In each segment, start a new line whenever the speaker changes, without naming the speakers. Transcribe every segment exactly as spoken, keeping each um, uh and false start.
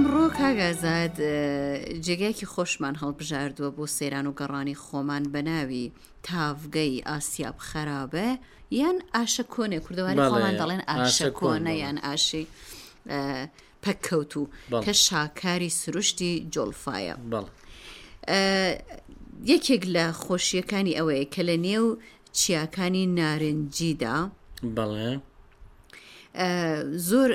ئەمڕۆ کاک ئازاد جێگایەکی خۆشمان هەڵبژاردووە بۆ سەیران و گەڕانی خۆمان بە ناوی تاڤگەی ئاسیاب خەرابە یان ئاشە کۆنێ کوردەواری خۆمان دەڵێن ئاشە کۆنە یان ئاشی پەککەوتوو کە شاکاری سروشتی جۆڵفایە. یەکێک لە خۆشیەکانی ئەوەیە کە لە نێو چیاکانی نارنجیدا
بەڵێ
زۆر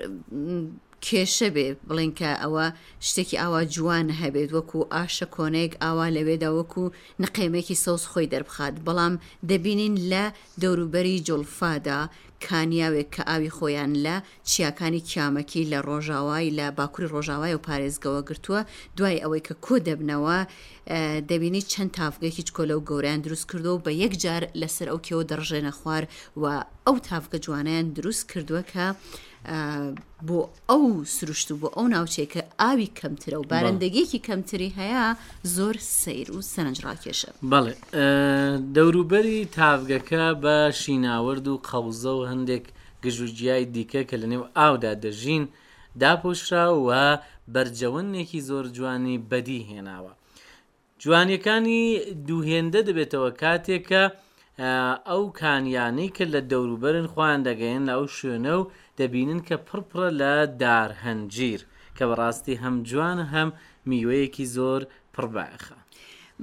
کێشە بێ بڵێن کە ئەوە شتێکی ئاوا جوان هەبێت وەکو ئاشە کۆنەیەک ئاوا لەوێدا وەکو نقێمێکی سەوز خۆی دەربخات بەڵام دەبینین لە دەوروبەری جوڵفادا کانیاوێک کە ئاوی خۆیان لە چیاکانی کیامەکی لە ڕۆژاوای لە باکوری ڕۆژاوای و پارێزگەوە گرتووە دوای ئەوەی کە کۆ دەبنەوە دەبینی چەند تاڤگەیەکی چکۆلە و گەورەیان دروست کردووە و بە یەک جار لەسەر ئەو کێوە دەڕژێنە خوار و ئەو تاڤگە جوانەیان دروست کردووە کە بۆ ئەو سروشت و بۆ ئەو ناوچەیە کە ئاوی کەمترە و بارندگیەکی کەمتری هەیە زۆر سەیر و سەرنجڕاکێشە.
بەڵێ دەوروبەری تاڤگەکە بە شیناوەرد و قەوزە و هەندێک گژوگیای دیکە کە لەنێو ئاودا دەژین داپۆشرا و بەرجەوەندێکی زۆر جوانی بەدی هێناوە. جوانیەکانی دوو هێندە دەبێتەوە کاتێک کە ئەو کانیانەی کە لە دەوروبەرن خۆیان دەگەیەن لە ئەو شوێنە و دەبینن کە پڕپڕە لە دار هەنجیر کە بەڕاستی هەم جوانە هەم میوەیەکی زۆر پڕبایەخە.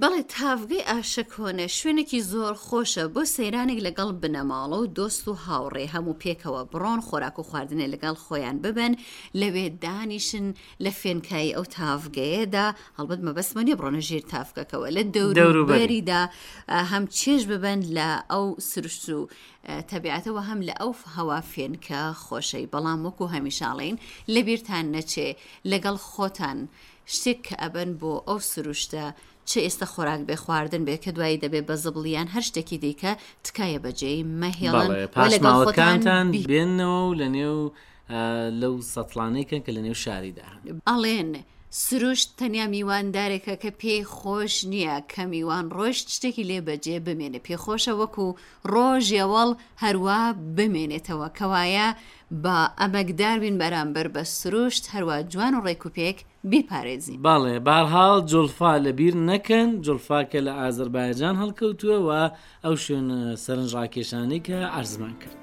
بەڵێ تاڤگەی ئاشەکۆنە شوێنێکی زۆر خۆشە بۆ سەیرانێک لەگەڵ بنەماڵە و دۆست و هاوڕێ هەموو پێکەوە بڕۆن خۆراک و خواردنێ لەگەڵ خۆیان ببەن لەوێ دانیشن لە فێنکایی ئەو تاڤگەیەدا هەڵبەت مەبەستمە نییە بڕۆنە ژێر تاڤگەکەوە لە دەوروبەریدا هەم چێژ ببەن لە ئەو سروشت و تەبیعەتەوە هەم لە ئەو هەوا فێنکە خۆشەی بەڵام وەکو هەمیشاڵین لەبیرتان نەچێ لەگەڵ خۆتان شتێک کە ئەبەن بۆ ئەو سروشتە چ ئێستا خۆراک بێ خواردن بێ کە دوایی دەبێ بە زبڵ یان هەر شتێکی دیکە تکایە بەجێی مەهێڵن
بەڵێ
و لەگەڵ خۆتان
پاشماوەکانتان
بی
بێنەوە و لە نێو لەو سەتڵانەی کەن کە لە نێو شاریدا هەن.
ئەڵێن سروشت تەنیا میواندارێکە کە پێی خۆش نییە کە میوان ڕۆیشت شتێکی لێ بەجێ بمێنێ پێ خۆشە وەکو ڕۆژێوەڵ هەروا بمێنێتەوە کەوایە با ئەمەکدار بین بەرامبەر بە سروشت هەروا جوان و ڕێک و پێک بیپارێزین.
بەڵێ بەهەرحاڵ جوڵفا لەبیر نەکەن، جوڵفا کە لە ئازەربایجان هەڵکەوتووە و ئەو شوێنە سەرنجڕاکێشانەی کە عەرزمان کرد.